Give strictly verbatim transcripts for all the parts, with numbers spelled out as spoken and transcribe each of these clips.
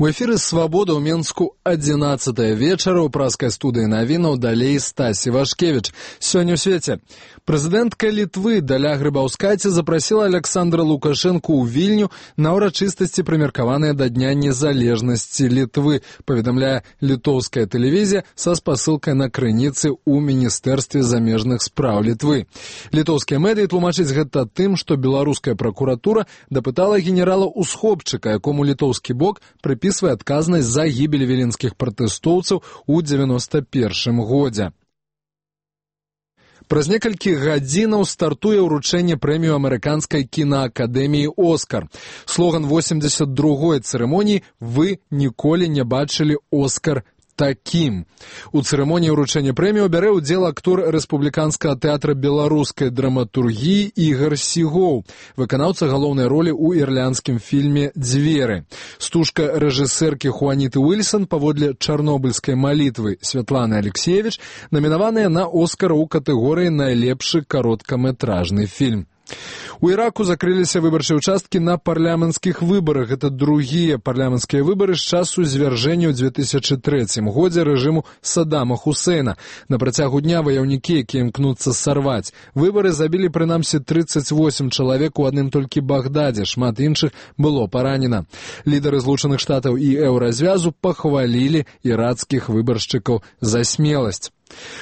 У эфіры «Свабода» ў Менску адзінаццатая вечара. У праскай студыі навінаў далей Стасі Вашкевіч. Сёння ў свеце. Прэзідэнтка Літвы Даля Грыбаўскайце запрасіла Александра Лукашэнку ў Вільню на ўрачыстасці, прымеркаваныя да Дня незалежнасці Літвы, паведамляе літоўская тэлевізія са спасылкай на крыніцы ў Міністэрстве замежных спраў Літвы. Літоўскія медыі тлумачаць гэта тым, што беларуская пракуратура дапытала генерала Усхопчыка, якому літоўскі бок прыпісвае адказнасць за гібель віленскіх пратэстоўцаў у дзевяноста першым годзе. Праз некалькі гадзінаў стартуе ўручэнне прэмію амерыканскай кінаакадэміі «Оскар». Слоган восемьдесят другой цырымоніі «Вы ніколі не бачылі Оскар такім». У цырымоніі ўручэння прэмію бярэ ўдзел актор рэспубліканскага тэатра беларускай драматургіі Ігар Сігоў, выканаўца галоўнай ролі ў ірландскім фільме «Дзверы». Стужка рэжысэркі Хуаніты Уільсон паводле чарнобыльскай малітвы Святланы Алексеевіч намінаваная на Оскар у катэгорыі «Найлепшы кароткаметражны фільм». У Іраку закрыліся выбарчыя ўчасткі на парламенцкіх выбарах. Гэта другія парламенцкія выбары з часу звяржэння ў две тысячы трэцім годзе рэжыму Саддама Хусейна. На працягу дня ваяўнікі, якія імкнуцца сарваць выбары, забілі прынамсі трыццаць восем чалавек у адным толькі Багдадзе, шмат іншых было паранена. Лідары Злучаных Штатаў і Еўразвязу пахвалілі ірацкіх выбаршчыкаў за смеласць.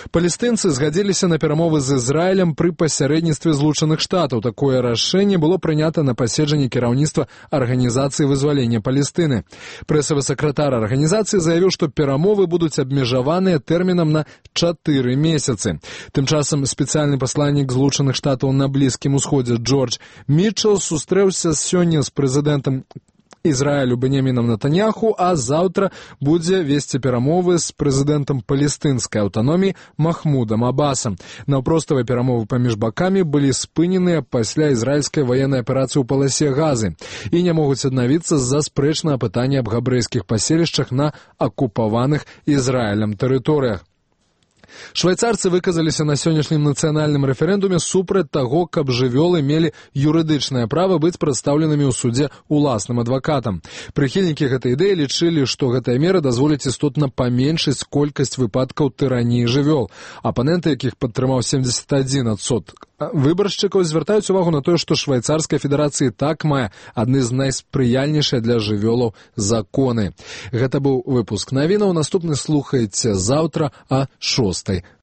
Палестынцы згадзіліся на перамовы з Ізраілем пры пасярэдніцтве Злучаных Штатаў. Такое рашэнне было прынята на паседжанні кіраўніцтва Арганізацыі вызвалення Палестыны. Прэсавы сакратар арганізацыі заявіў, што перамовы будуць абмежаваныя тэрмінам на чатыры месяцы. Тым часам спецыяльны пасланнік Злучаных Штатаў на Блізкім Усходзе Джордж Мітчел сустрэўся сёння з прэзідэнтам Ізраілю Беньямінам Нетаньяху, а заўтра будзе весці перамовы з прэзідэнтам палестынскай аўтаноміі Махмудам Абасам. Наўпроставыя перамовы паміж бакамі былі спыненыя пасля ізраільскай ваеннай аперацыі ў паласе Газы і не могуць аднавіцца з-за спрэчнага пытання аб габрэйскіх паселішчах на акупаваных Ізраілем тэрыторыях. Швайцарцы выказаліся на сённяшнім нацыянальным рэферэндуме супраць таго, каб жывёлы мелі юрыдычнае права быць прадстаўленымі ў судзе уласным адвакатам. Прыхільнікі гэтай ідэі лічылі, што гэтая мера дазволіць істотна паменшыць колькасць выпадкаў тыраніі жывёл. Апаненты, якіх падтрымаў семьдесят один адсотак выбаршчыкаў, звяртаюць увагу на тое, што Швайцарская федэрацыя так мае адны з найспрыяльнейшых для жывёлаў законы. Гэта быў выпуск навінаў. Наступны слухаеце заўтра а шостай